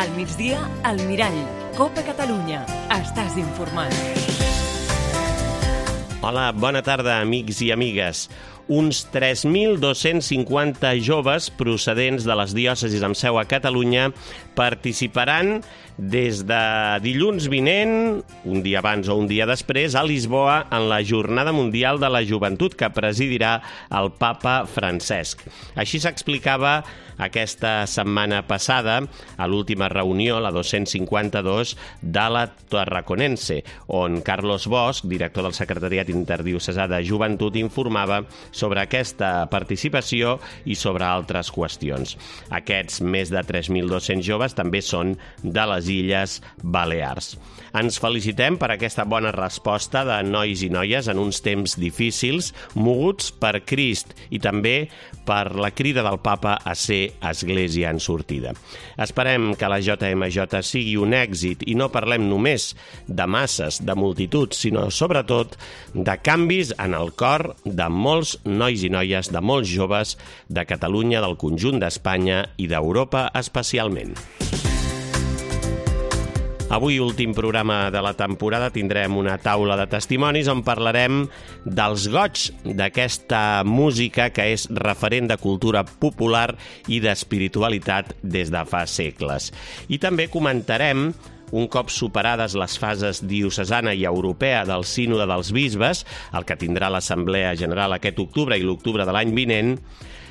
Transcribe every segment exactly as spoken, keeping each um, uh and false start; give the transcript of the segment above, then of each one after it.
Al migdia, al Mirall. Copa Catalunya. Estàs informat. Hola, bona tarda, amics i amigues. Uns tres mil dos-cents cinquanta joves procedents de les diòcesis amb seu a Catalunya participaran des de dilluns vinent, un dia abans o un dia després, a Lisboa en la Jornada Mundial de la Joventut que presidirà el Papa Francesc. Així s'explicava aquesta setmana passada a l'última reunió, la dos-cents cinquanta-dos, de la Tarraconense, on Carlos Bosch, director del Secretariat Interdiocesà de Joventut, informava sobre aquesta participació i sobre altres qüestions. Aquests més de tres mil dos-cents joves també són de les Illes Balears. Ens felicitem per aquesta bona resposta de nois i noies en uns temps difícils, moguts per Crist i també per la crida del Papa a ser Església en sortida. Esperem que la J M J sigui un èxit i no parlem només de masses, de multituds, sinó sobretot de canvis en el cor de molts nois i noies, de molts joves de Catalunya, del conjunt d'Espanya i d'Europa especialment. Avui, últim programa de la temporada, tindrem una taula de testimonis on parlarem dels goigs d'aquesta música que és referent de cultura popular i d'espiritualitat des de fa segles. I també comentarem, un cop superades les fases diocesana i europea del Sínode dels Bisbes, el que tindrà l'Assemblea General aquest octubre i l'octubre de l'any vinent,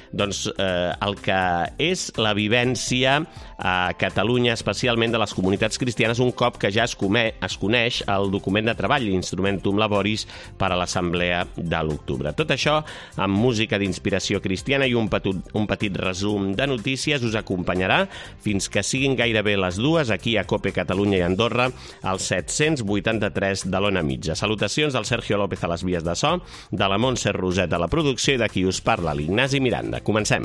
doncs eh, el que és la vivència a Catalunya, especialment de les comunitats cristianes, un cop que ja es, come, es coneix el document de treball, l'Instrumentum Laboris, per a l'Assemblea de l'octubre. Tot això amb música d'inspiració cristiana i un petit, un petit resum de notícies us acompanyarà fins que siguin gairebé les dues aquí a Cope Catalunya i Andorra, al set-cents vuitanta-tres de l'Ona Mitja. Salutacions del Sergio López a les vies de so, de la Montse Roset a la producció i de qui us parla, l'Ignasi Miranda. Comencem.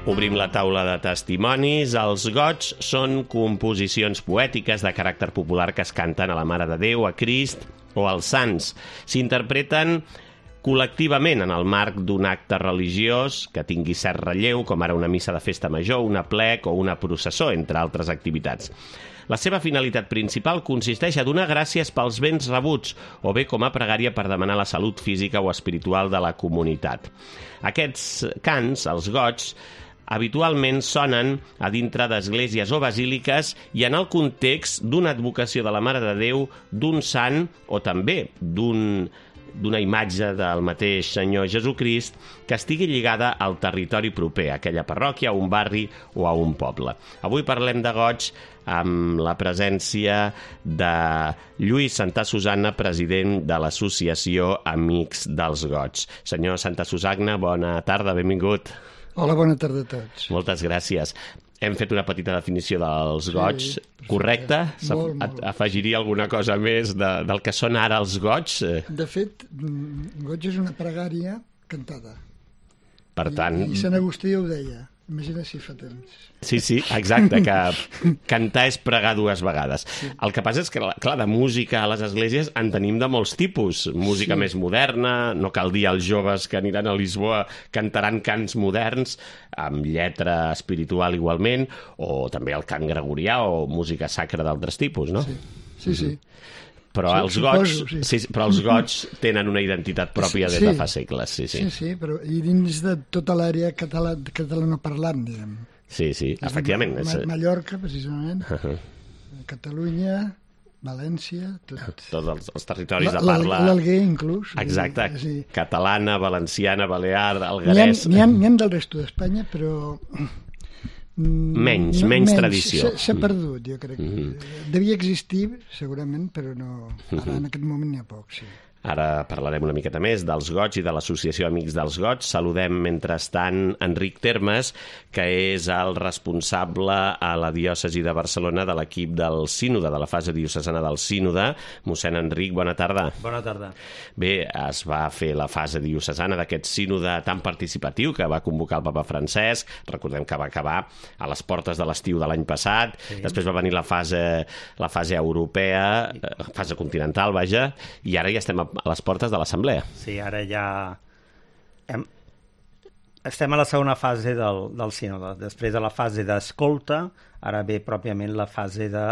Obrim la taula de testimonis. Els goigs són composicions poètiques de caràcter popular que es canten a la Mare de Déu, a Crist o als sants. S'interpreten col·lectivament en el marc d'un acte religiós que tingui cert relleu, com ara una missa de festa major, una plec o una processó, entre altres activitats. La seva finalitat principal consisteix a donar gràcies pels béns rebuts o bé com a pregària per demanar la salut física o espiritual de la comunitat. Aquests cants, els goigs, habitualment sonen a dintre d'esglésies o basíliques i en el context d'una advocació de la Mare de Déu, d'un sant o també d'un d'una imatge del mateix Senyor Jesucrist que estigui lligada al territori proper, a aquella parròquia, a un barri o a un poble. Avui parlem de goigs amb la presència de Lluís Santa Susanna, president de l'Associació Amics dels Goigs. Senyor Santa Susanna, bona tarda, benvingut. Hola, bona tarda a tots. Moltes gràcies. Hem fet una petita definició dels goigs, sí, correcte? Molt, molt. Afegiria alguna cosa més de, del que són ara els goigs? De fet, goig és una pregària cantada. Per tant... I, i Sant Agustí ho deia. Imagina si fa temps. Sí, sí, exacte, que cantar és pregar dues vegades. Sí. El que passa és que, clar, de música a les esglésies en tenim de molts tipus. Música sí. Més moderna, no cal dir als joves que aniran a Lisboa cantaran cants moderns, amb lletra espiritual igualment, o també el cant gregorià o música sacra d'altres tipus, no? Sí, sí. sí. Però, sí, els goigs, sí. Sí, però els goigs tenen una identitat pròpia des sí. de fa segles. Sí, sí, sí, sí, però i dins de tota l'àrea català, catalanoparlant, diguem. Sí, sí, és efectivament. Ma, Ma, Mallorca, precisament, uh -huh. Catalunya, València, tot. Tots els, els territoris de parla... L'Alguer, inclús. Exacte, sí. Catalana, valenciana, balear, alguerès... N'hi ha, n'hi ha del resto d'Espanya, però... Menys, no, menys, menys tradició. S'ha perdut, jo crec. Mm-hmm. Devia existir, segurament, però no. Ara, mm-hmm. en aquest moment n'hi ha poc, sí. Ara parlarem una miqueta més dels goigs i de l'Associació Amics dels Goigs. Saludem, mentrestant, Enric Termes, que és el responsable a la diòcesi de Barcelona de l'equip del Sínode, de la fase diocesana del Sínode. Mossèn Enric, bona tarda. Bona tarda. Bé, es va fer la fase diocesana d'aquest Sínode tan participatiu que va convocar el Papa Francesc. Recordem que va acabar a les portes de l'estiu de l'any passat. Sí. Després va venir la fase, la fase europea, la fase continental, vaja, i ara ja estem a a les portes de l'Assemblea. Sí, ara ja hem, estem a la segona fase del, del sínode. Després de la fase d'escolta, ara ve pròpiament la fase de,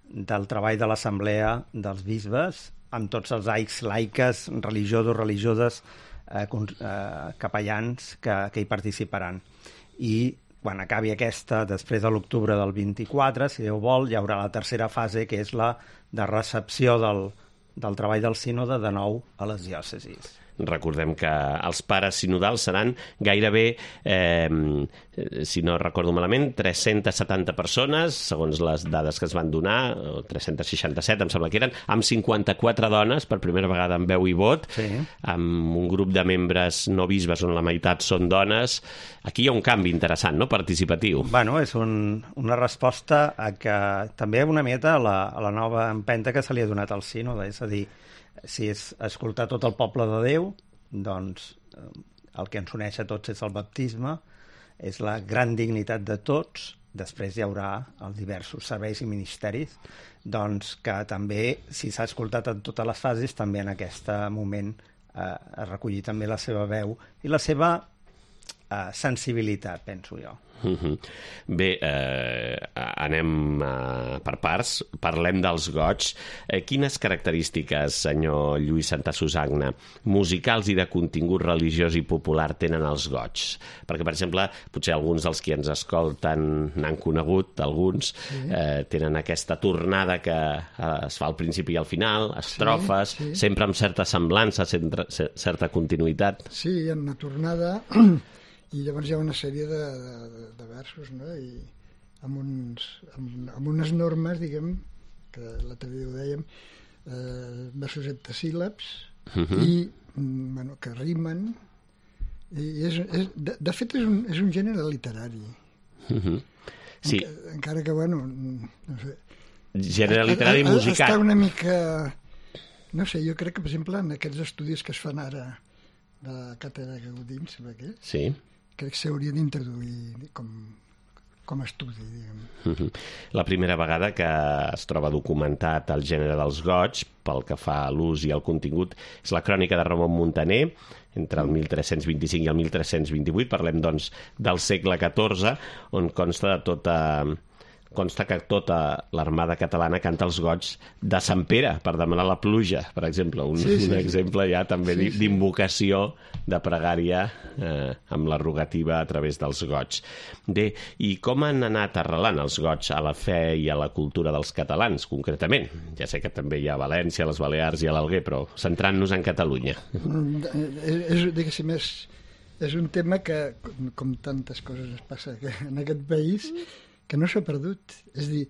del treball de l'assemblea dels bisbes, amb tots els laics, laiques, religiosos, religioses, eh, eh, capellans que, que hi participaran. I quan acabi aquesta, després de l'octubre del vint-i-quatre, si Déu vol, hi haurà la tercera fase, que és la de recepció del, del treball del sínode de nou a les diòcesis. Recordem que els pares sinodals seran gairebé, eh, si no recordo malament, tres-centes setanta persones, segons les dades que es van donar, o tres-centes seixanta-set, em sembla que eren, amb cinquanta-quatre dones, per primera vegada amb veu i vot, sí. Amb un grup de membres no bisbes on la meitat són dones. Aquí hi ha un canvi interessant, no?, participatiu. Bueno, és un, una resposta a que també una mieta a la, a la nova empenta que se li ha donat al sínode, és a dir, si és escoltar tot el poble de Déu, doncs el que ens uneix a tots és el baptisme, és la gran dignitat de tots. Després hi haurà els diversos serveis i ministeris, doncs que també, si s'ha escoltat en totes les fases, també en aquest moment eh, a recollir també la seva veu i la seva eh, sensibilitat, penso jo. Uh-huh. Bé, eh, anem eh, per parts, parlem dels goigs. Eh, quines característiques, senyor Lluís Santa Susanna, musicals i de contingut religiós i popular tenen els goigs? Perquè, per exemple, potser alguns dels que ens escolten n'han conegut, alguns sí. eh, tenen aquesta tornada que eh, es fa al principi i al final, estrofes, sí, sí. sempre amb certa semblança, centra, certa continuïtat. Sí, en una tornada... I llavors hi ha una sèrie de, de, de versos, no? I amb, uns, amb, amb unes normes, diguem, que l'altre dia ho dèiem, eh, versos heptasíl·labs, uh-huh. i bueno, que rimen. I és, és, de, de fet, és un, és un gènere literari. Uh-huh. Sí. Enca, encara que, bueno, no sé... Gènere literari musical. Està una mica... No sé, jo crec que, per exemple, en aquests estudis que es fan ara de la càtedra Gaudí, sembla que és, sí. crec que s'hauria d'introduir com, com a estudi, diguem. Uh-huh. La primera vegada que es troba documentat el gènere dels goigs, pel que fa a l'ús i al contingut, és la crònica de Ramon Muntaner, entre el mil tres-cents vint-i-cinc i el mil tres-cents vint-i-vuit. Parlem, doncs, del segle catorze, on consta de tota... consta que tota l'armada catalana canta els goigs de Sant Pere per demanar la pluja, per exemple. Un, sí, sí, un exemple ja també sí, d'invocació de pregària eh, amb la rogativa a través dels goigs. Bé, i com han anat arrelant els goigs a la fe i a la cultura dels catalans, concretament? Ja sé que també hi ha a València, a les Balears i a l'Alguer, però centrant-nos en Catalunya. És, diguéssim, és, és un tema que, com tantes coses es passa en aquest país, que no s'ha perdut. És a dir,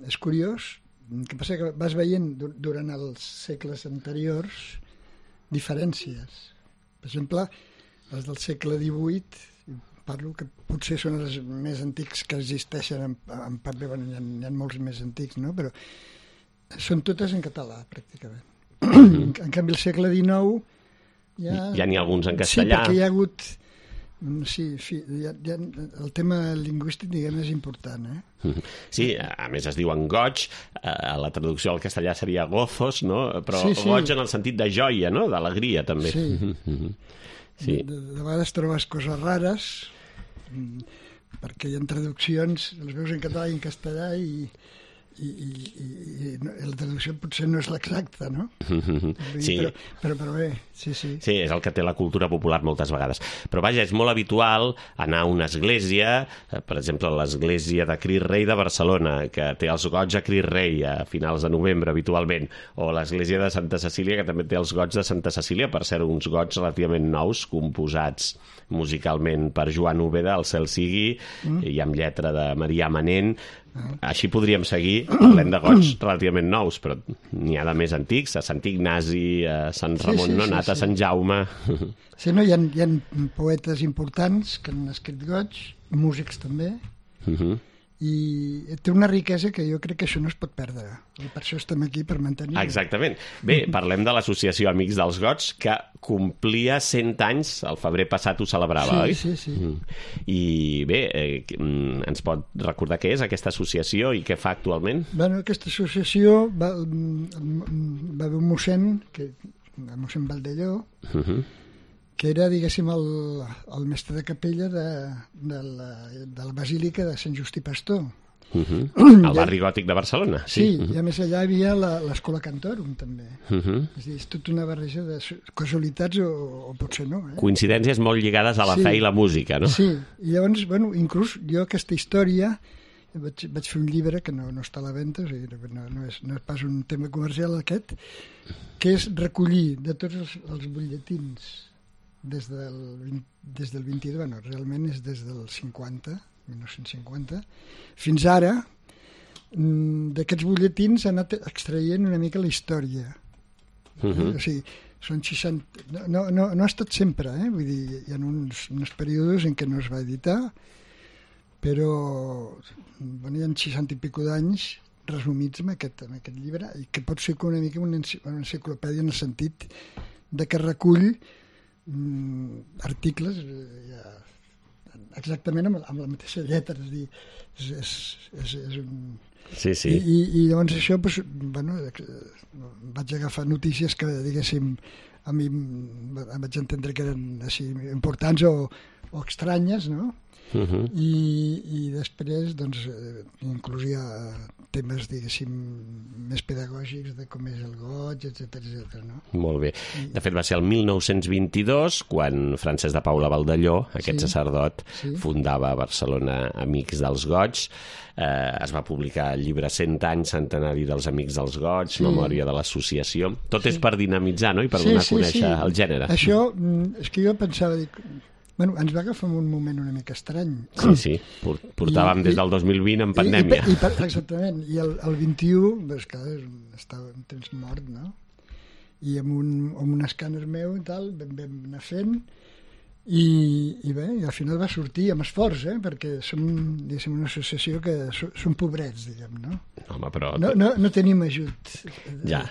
és curiós, el que passa que vas veient durant els segles anteriors diferències. Per exemple, els del segle divuit, parlo que potser són els més antics que existeixen, en, en part, bueno, hi ha, hi ha molts més antics, no? Però són totes en català, pràcticament. Mm-hmm. En canvi, el segle dinou... Ja, ja n'hi ha alguns en castellà. Sí, perquè hi ha hagut... Sí, fi, ja, ja, el tema lingüístic, diguem, és important, eh? Sí, a més es diuen goig, eh, la traducció al castellà seria gozos, no? Però sí, sí. goig en el sentit de joia, no? D'alegria, també. Sí. Sí. De, de vegades trobes coses rares, perquè hi ha traduccions, les veus en català i en castellà, i, i, i, i la traducció potser no és l'exacta, no? Sí. Però, però, però bé, sí, sí. Sí, és el que té la cultura popular moltes vegades. Però vaja, és molt habitual anar a una església, per exemple, l'església de Crist Rei de Barcelona, que té els goigs a Crist Rei a finals de novembre habitualment, o l'església de Santa Cecília, que també té els goigs de Santa Cecília, per ser uns goigs relativament nous, composats musicalment per Joan Úbeda, el cel sigui, mm. i amb lletra de Marià Manent. Així podríem seguir, parlem de goigs relativament nous, però n'hi ha de més antics, a Sant Ignasi, a Sant Ramon sí, sí, Nonat, sí, sí. a Sant Jaume... Sí, no, hi ha, hi ha poetes importants que han escrit goigs, músics també, uh-huh. i té una riquesa que jo crec que això no es pot perdre, i per això estem aquí, per mantenir-ho. Exactament. Bé, parlem de l'associació Amics dels Goigs, que complia cent anys, el febrer passat ho celebrava, sí, oi? Sí, sí, sí. I bé, eh, ens pot recordar què és aquesta associació i què fa actualment? Bueno, aquesta associació va, va haver un mossèn, que, el mossèn Valdelló, uh-huh. que era, diguéssim, el, el mestre de capella de, de, la, de la Basílica de Sant Justí Pastor. Uh -huh. El barri gòtic de Barcelona. Sí, sí, uh -huh. I a més allà hi havia l'Escola Cantorum, també. Uh -huh. És dir, és tota una barreja de casualitats o, o potser no. Eh? Coincidències molt lligades a la sí. fe i la música, no? Sí, i llavors, bueno, inclús jo aquesta història vaig, vaig fer un llibre que no, no està a la venda, o sigui, no, no, és, no és pas un tema comercial aquest, que és recollir de tots els, els butlletins des del, des del vint-i-dos, bueno, realment és des del cinquanta, mil nou-cents cinquanta, fins ara, d'aquests butlletins ha anat extraient una mica la història. Uh -huh. O sigui, són seixanta... No, no, no ha estat sempre, eh? Vull dir, hi ha uns, uns períodes en què no es va editar, però bueno, hi ha seixanta i pico d'anys resumits en aquest, en aquest llibre, i que pot ser una mica una enciclopèdia en el sentit de que recull mm, articles ja, exactament amb, amb la mateixa lletra, és dir, és, és, és, és un... Sí, sí. I, i, i llavors això, doncs, bueno, vaig agafar notícies que, diguéssim, a mi em vaig entendre que eren així importants o, o estranyes, no? Uh -huh. I, i després, doncs, inclús hi ha temes, diguéssim, més pedagògics de com és el goig, etcètera, etcètera, no? Molt bé. De fet, va ser el mil nou-cents vint-i-dos quan Francesc de Paula Baldelló, aquest sí, sacerdot, sí. fundava a Barcelona Amics dels Goigs. Eh, es va publicar el llibre cent anys centenari dels Amics dels Goigs, sí. memòria de l'associació. Tot sí. és per dinamitzar, no?, i per sí, donar sí, a conèixer sí. el gènere. Això, és que jo pensava, dic, bueno, ens va agafar un moment una mica estrany. Sí, sí, portàvem I, des del dos mil vint en pandèmia. I, i, i, exactament, i el, el vint-i-u, doncs, clar, estava en temps mort, no? I amb un, amb un escàner meu i tal, vam, vam anar fent, i, i bé, i al final va sortir amb esforç, eh? Perquè som, diguéssim, una associació que som, som pobrets, diguem, no? Home, però... No, no, no tenim ajut. Ja.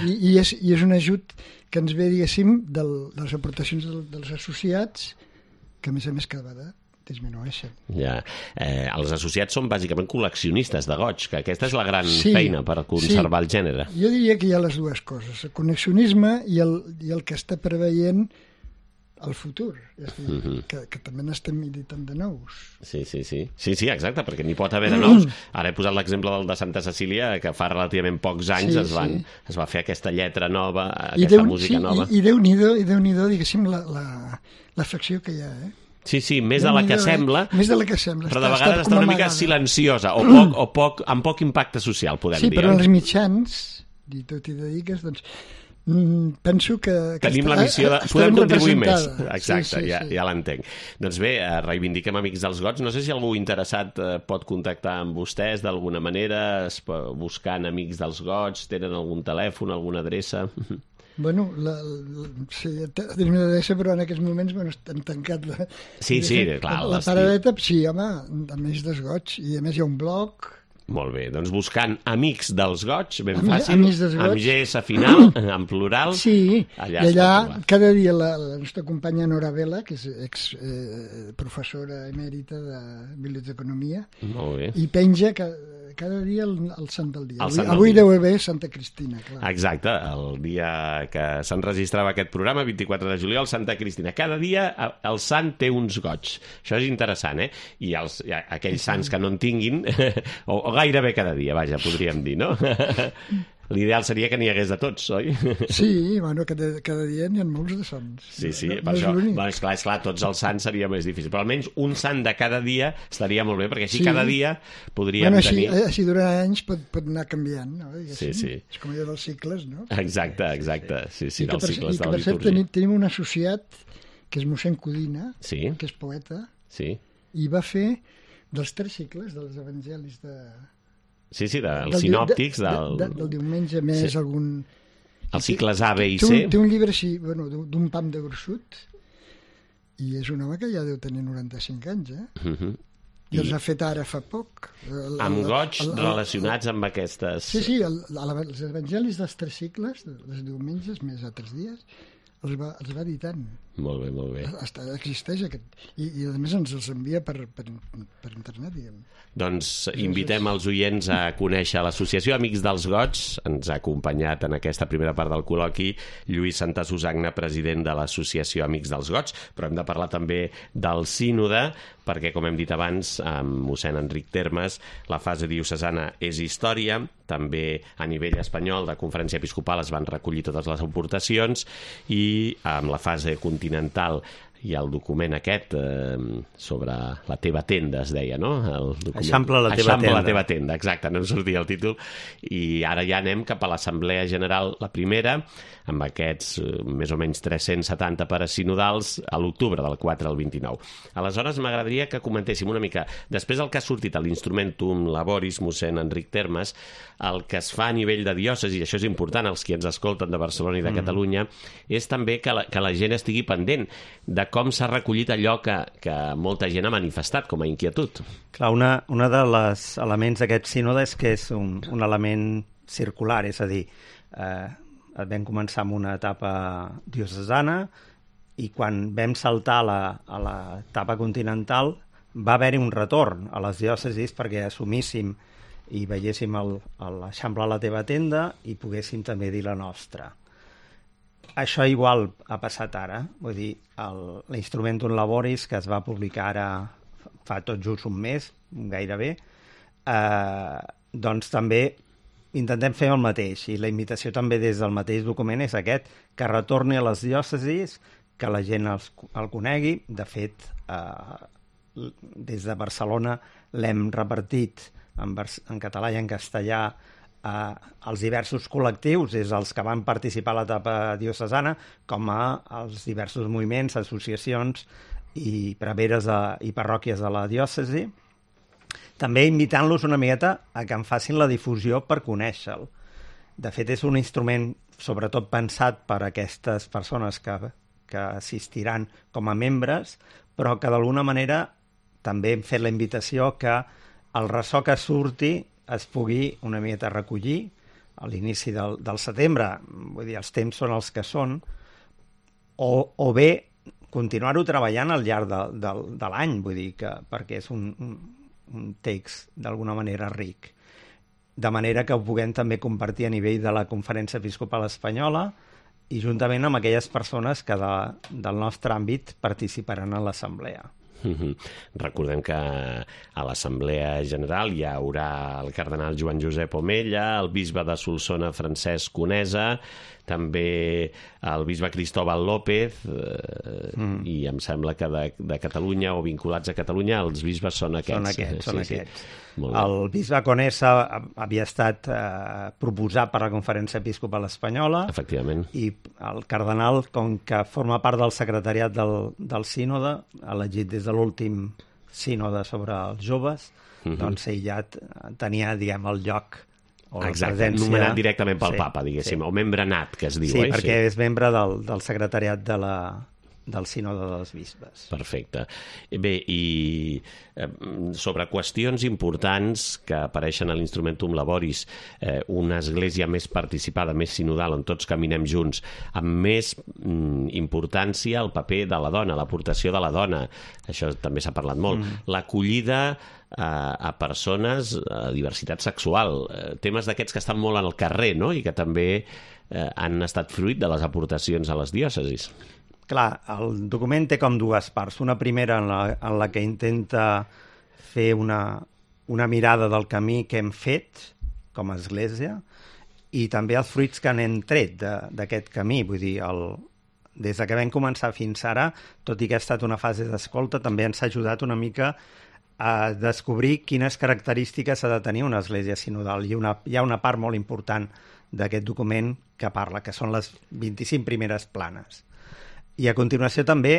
I, i, és, i és un ajut que ens ve, diguéssim, del, de les aportacions del, dels associats, que a més a més cada vegada disminueixen. Ja. Eh, els associats són bàsicament col·leccionistes de goig, que aquesta és la gran sí, feina per conservar sí. el gènere. Jo diria que hi ha les dues coses, el col·leccionisme i el, i el que està preveient el futur, és a dir, uh -huh. que, que també n'estem militant de nous. Sí, sí, sí, sí, sí, exacte, perquè n'hi pot haver de nous. Ara he posat l'exemple del de Santa Cecília, que fa relativament pocs anys sí, es, van, sí. es va fer aquesta lletra nova, I aquesta Déu, música sí, nova. I, i Déu-n'hi-do, i Déu-n'hi-do, diguéssim, l'afecció que hi ha, eh? Sí, sí, més de la que sembla, més de la que sembla, però de vegades està una mica silenciosa, o, poc, o poc, amb poc impacte social, podem sí, dir. Sí, però els mitjans, i tot i dediques, doncs, penso que... Tenim la missió de... Podem contribuir més. Exacte, sí, sí, ja, sí. ja l'entenc. Doncs bé, reivindiquem Amics dels Goigs. No sé si algú interessat pot contactar amb vostès d'alguna manera, buscant Amics dels Goigs, tenen algun telèfon, alguna adreça... Bueno, la, la, sí, tenim una adreça, però en aquests moments bueno, estan tancat la, sí, sí, clar, la, la paradeta. Sí, home, Amics dels Goigs, i a més hi ha un blog. Molt bé, doncs buscant Amics dels Goigs, ben Am, fàcil, Goigs. amb G S final, en plural. Sí, allà i allà cada dia la, la nostra companya Nora Vela, que és ex eh, professora emèrita de Biblioteconomia, molt bé. I penja cada, cada dia el, el sant del dia. El Avui, sant avui del dia. deu haver Santa Cristina, clar. Exacte, el dia que s'enregistrava aquest programa, vint-i-quatre de juliol, Santa Cristina. Cada dia el sant té uns goigs. Això és interessant, eh? I els, aquells sants que no en tinguin, o, o gairebé cada dia, vaja, podríem dir, no? L'ideal seria que n'hi hagués de tots, oi? Sí, bueno, cada, cada dia n'hi ha molts de sants. Sí, sí, no, per no això, és bueno, esclar, esclar, tots els sants seria més difícil, però almenys un sant de cada dia estaria molt bé, perquè així sí. cada dia podríem bueno, així, tenir... Així durant anys pot, pot anar canviant, no? Sí, sí. És com allò dels cicles, no? Exacte, exacte, sí, sí, dels cicles de la litúrgia. I que, per cert, tenim, tenim un associat, que és mossèn Codina, sí. que és poeta, sí. i va fer dels tres cicles dels evangelis de... Sí, sí, dels del, sinòptics. De, del... De, de, del diumenge més sí. algun... Els cicles A, B i C. Té un, té un llibre així, bueno, d'un pam de gruixut, i és un home que ja deu tenir noranta-cinc anys, eh? Uh -huh. I, I els ha fet ara fa poc. El, amb goigs el, el, relacionats amb aquestes... Sí, sí, el, el, els evangelis dels tres cicles, dels diumenges més altres dies, els va, els va editant. Molt bé, molt bé. Hasta existeix aquest... I, i a més ens els envia per, per, per internet, diguem. Doncs invitem els oients a conèixer l'Associació Amics dels Gots. Ens ha acompanyat en aquesta primera part del col·loqui Lluís Santasusagna, president de l'Associació Amics dels Gots, però hem de parlar també del sínode, perquè, com hem dit abans, amb mossèn Enric Termes, la fase diocesana és història, també a nivell espanyol de Conferència Episcopal es van recollir totes les aportacions i amb la fase continental hi ha el document aquest eh, sobre la teva tenda, es deia, no? El document... Eixampla la teva Eixampla tenda. la teva tenda, exacte, no em sortia el títol. I ara ja anem cap a l'Assemblea General, la primera, amb aquests eh, més o menys tres-cents setanta pares sinodals a l'octubre, del quatre al vint-i-nou. Aleshores, m'agradaria que comentéssim una mica, després del que ha sortit a l'Instrumentum Laboris, mossèn Enric Termes, el que es fa a nivell de diòcesi, i això és important, els qui ens escolten de Barcelona i de mm. Catalunya, és també que la, que la gent estigui pendent de com s'ha recollit allò que, que molta gent ha manifestat com a inquietud. Clar, una, una de les elements d'aquest sínode és que és un, un element circular, és a dir, eh, vam començar amb una etapa diocesana i quan vam saltar a la, a l'etapa continental va haver-hi un retorn a les diòcesis perquè assumíssim i veiéssim l'Eixample a la teva tenda i poguéssim també dir la nostra. Això igual ha passat ara, vull dir, l'Instrumentum Laboris, que es va publicar ara fa tot just un mes, gairebé, eh, doncs també intentem fer el mateix, i la invitació també des del mateix document és aquest, que retorni a les diòcesis, que la gent els, el conegui. De fet, eh, des de Barcelona l'hem repartit en, en català i en castellà Uh, els diversos col·lectius, des dels que van participar a l'etapa diocesana, com a els diversos moviments, associacions i preveres de, i parròquies de la diòcesi, també invitant-los una miqueta a que en facin la difusió per conèixer-lo. De fet, és un instrument sobretot pensat per a aquestes persones que, que assistiran com a membres, però que d'alguna manera també hem fet la invitació que el ressò que surti es pugui una miqueta recollir a l'inici del, del setembre, vull dir, els temps són els que són, o, o bé continuar-ho treballant al llarg de, de, de l'any, vull dir, que, perquè és un, un, un text d'alguna manera ric. De manera que ho puguem també compartir a nivell de la Conferència Episcopal Espanyola i juntament amb aquelles persones que de, del nostre àmbit participaran en l'assemblea. Mm-hmm. Recordem que a l'Assemblea General hi haurà el cardenal Joan Josep Omella, el bisbe de Solsona Francesc Conesa, també el bisbe Cristóbal López eh, mm. i em sembla que de, de Catalunya o vinculats a Catalunya els bisbes són aquests. Són aquests, són sí, aquests. Sí. El bisbe Conesa havia estat eh, proposat per la Conferència Episcopal Espanyola. Efectivament. I el cardenal, com que forma part del secretariat del, del sínode, elegit des de l'últim sínode sobre els joves, mm-hmm. doncs ell ja tenia, diguem, el lloc o la Exacte, presència... nomenat directament pel sí, papa, diguéssim, sí. o membre nat, que es diu. Sí, eh? perquè sí. és membre del, del secretariat de la, del sínode dels bisbes. Perfecte. Bé, i eh, sobre qüestions importants que apareixen a l'Instrumentum Laboris, eh, una església més participada, més sinodal, on tots caminem junts, amb més mm, importància el paper de la dona, l'aportació de la dona, això també s'ha parlat molt, mm. l'acollida a, a persones a diversitat sexual, eh, temes d'aquests que estan molt al carrer, no?, i que també eh, han estat fruit de les aportacions a les diòcesis. Clar, el document té com dues parts. Una primera en la, en la que intenta fer una, una mirada del camí que hem fet com a església i també els fruits que n'hem tret d'aquest camí. Vull dir, el, des que vam començar fins ara, tot i que ha estat una fase d'escolta, també ens ha ajudat una mica a descobrir quines característiques ha de tenir una església sinodal. I una, hi ha una part molt important d'aquest document que parla, que són les vint-i-cinc primeres planes. I a continuació també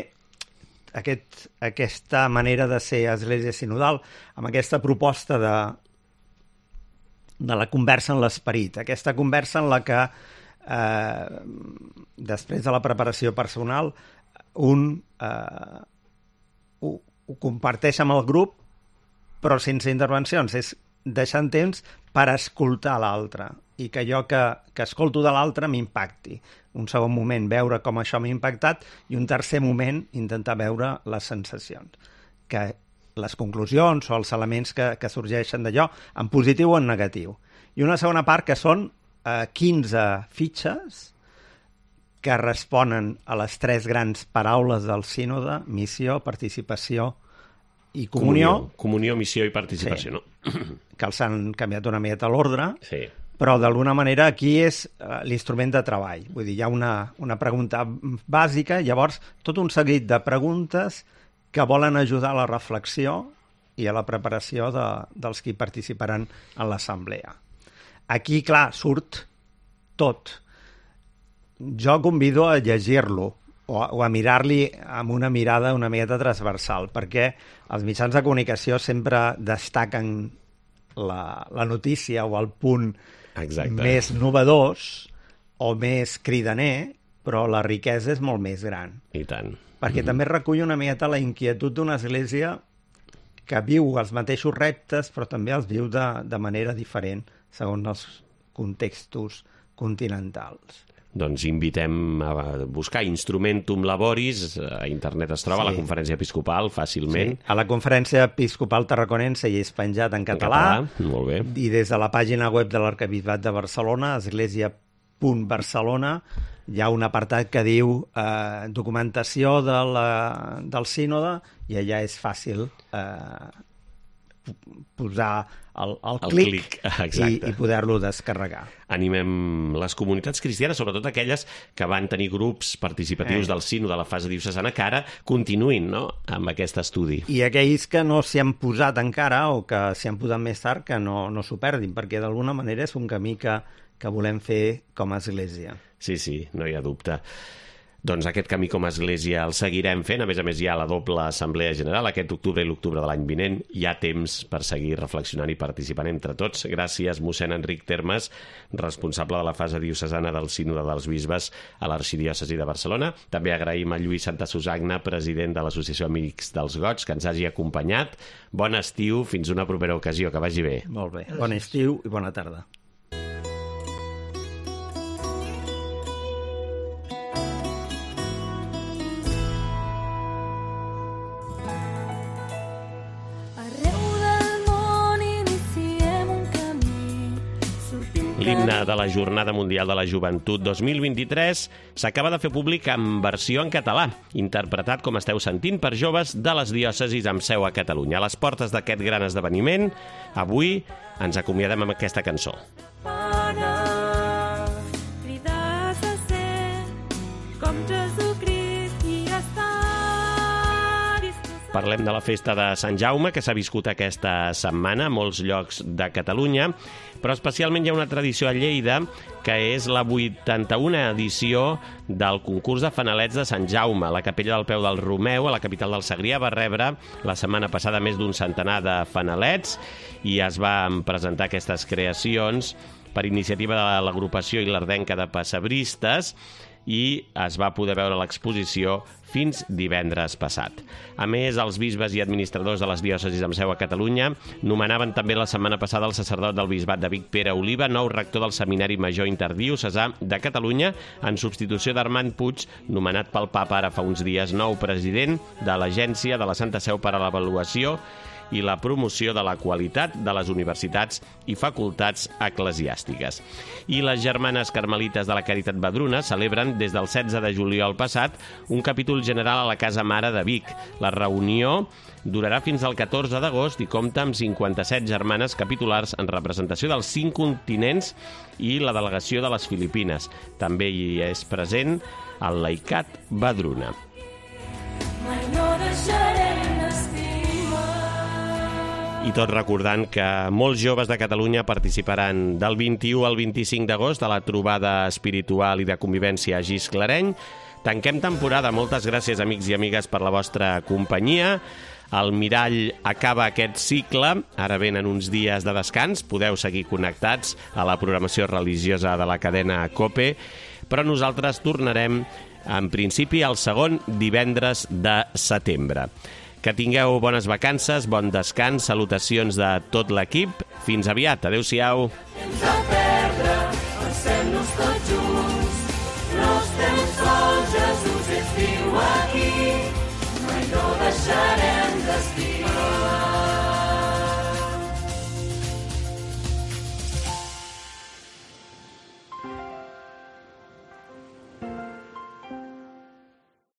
aquest, aquesta manera de ser església sinodal, amb aquesta proposta de, de la conversa en l'esperit, aquesta conversa en la que eh, després de la preparació personal un eh, ho, ho comparteix amb el grup però sense intervencions. És deixant temps per escoltar l'altre i que allò que, que escolto de l'altre m'impacti. Un segon moment veure com això m'ha impactat i un tercer moment intentar veure les sensacions. Que les conclusions o els elements que, que sorgeixen d'allò, en positiu o en negatiu. I una segona part que són eh, quinze fitxes que responen a les tres grans paraules del sínode: missió, participació i comunió. Comunió, comunió missió i participació, sí. No? Que els han canviat una miqueta l'ordre, sí. Però d'alguna manera aquí és uh, l'instrument de treball. Vull dir, hi ha una, una pregunta bàsica, llavors tot un seguit de preguntes que volen ajudar a la reflexió i a la preparació de, dels qui participaran en l'assemblea. Aquí, clar, surt tot. Jo convido a llegir-lo o, o a mirar-li amb una mirada una miqueta transversal, perquè els mitjans de comunicació sempre destaquen la, la notícia o el punt Exacte. Més novedós o més cridaner, però la riquesa és molt més gran. I tant. Perquè mm-hmm. també recull una miqueta la inquietud d'una església que viu els mateixos reptes, però també els viu de, de manera diferent, segons els contextos continentals. Doncs invitem a buscar Instrumentum Laboris, a internet es troba, sí. A la Conferència Episcopal, fàcilment. Sí. A la Conferència Episcopal Tarraconense hi és penjat en català. En català, molt bé. I des de la pàgina web de l'Arquebisbat de Barcelona, església punt barcelona, hi ha un apartat que diu eh, documentació de la, del sínode, i allà és fàcil eh, posar el, el, el clic, clic i, i poder-lo descarregar. Animem les comunitats cristianes, sobretot aquelles que van tenir grups participatius eh. del sínode de la fase diocesana, que ara continuïn, no?, amb aquest estudi. I aquells que no s'hi han posat encara o que s'hi han posat més tard, que no, no s'ho perdin, perquè d'alguna manera és un camí que, que volem fer com a església. Sí, sí, no hi ha dubte. Doncs aquest camí com a església el seguirem fent. A més a més, hi ha la doble assemblea general aquest octubre i l'octubre de l'any vinent. Hi ha temps per seguir reflexionant i participant entre tots. Gràcies, mossèn Enric Termes, responsable de la fase diocesana del Sínode dels Bisbes a l'Arxidiòcesi de Barcelona. També agraïm a Lluís Santa Susagna, president de l'Associació Amics dels Gots, que ens hagi acompanyat. Bon estiu, fins una propera ocasió. Que vagi bé. Molt bé. Bon estiu i bona tarda. L'himne de la Jornada Mundial de la Joventut dos mil vint-i-tres s'acaba de fer públic en versió en català, interpretat, com esteu sentint, per joves de les diòcesis amb seu a Catalunya. A les portes d'aquest gran esdeveniment, avui ens acomiadem amb aquesta cançó. Parlem de la festa de Sant Jaume, que s'ha viscut aquesta setmana a molts llocs de Catalunya, però especialment hi ha una tradició a Lleida, que és la vuitanta-una edició del concurs de fanalets de Sant Jaume. La capella del Peu del Romeu, a la capital del Segrià, va rebre la setmana passada més d'un centenar de fanalets i es van presentar aquestes creacions per iniciativa de l'agrupació Ilardenca de Pessebristes, i es va poder veure l'exposició fins divendres passat. A més, els bisbes i administradors de les diòcesis amb seu a Catalunya nomenaven també la setmana passada el sacerdot del bisbat de Vic, Pere Oliva, nou rector del Seminari Major Interdiocesà de Catalunya, en substitució d'Armand Puig, nomenat pel papa ara fa uns dies nou president de l'Agència de la Santa Seu per a l'Avaluació i la promoció de la qualitat de les universitats i facultats eclesiàstiques. I les germanes carmelites de la Caritat Vedruna celebren des del setze de juliol passat un capítol general a la Casa Mare de Vic. La reunió durarà fins al catorze d'agost i compta amb cinquanta-set germanes capitulars en representació dels cinc continents i la delegació de les Filipines. També hi és present el Laicat Vedruna. Mai no deixarem d'estimar. I tot recordant que molts joves de Catalunya participaran del vint-i-u al vint-i-cinc d'agost a la trobada espiritual i de convivència a Gisclareny. Tanquem temporada. Moltes gràcies, amics i amigues, per la vostra companyia. El Mirall acaba aquest cicle. Ara venen uns dies de descans. Podeu seguir connectats a la programació religiosa de la cadena COPE, però nosaltres tornarem, en principi, el segon divendres de setembre. Que tingueu bones vacances, bon descans, salutacions de tot l'equip. Fins aviat, adeu-siau. Temps a perdre, pensem-nos tots junts. No estem sols, Jesús ens viu aquí. Mai no deixarem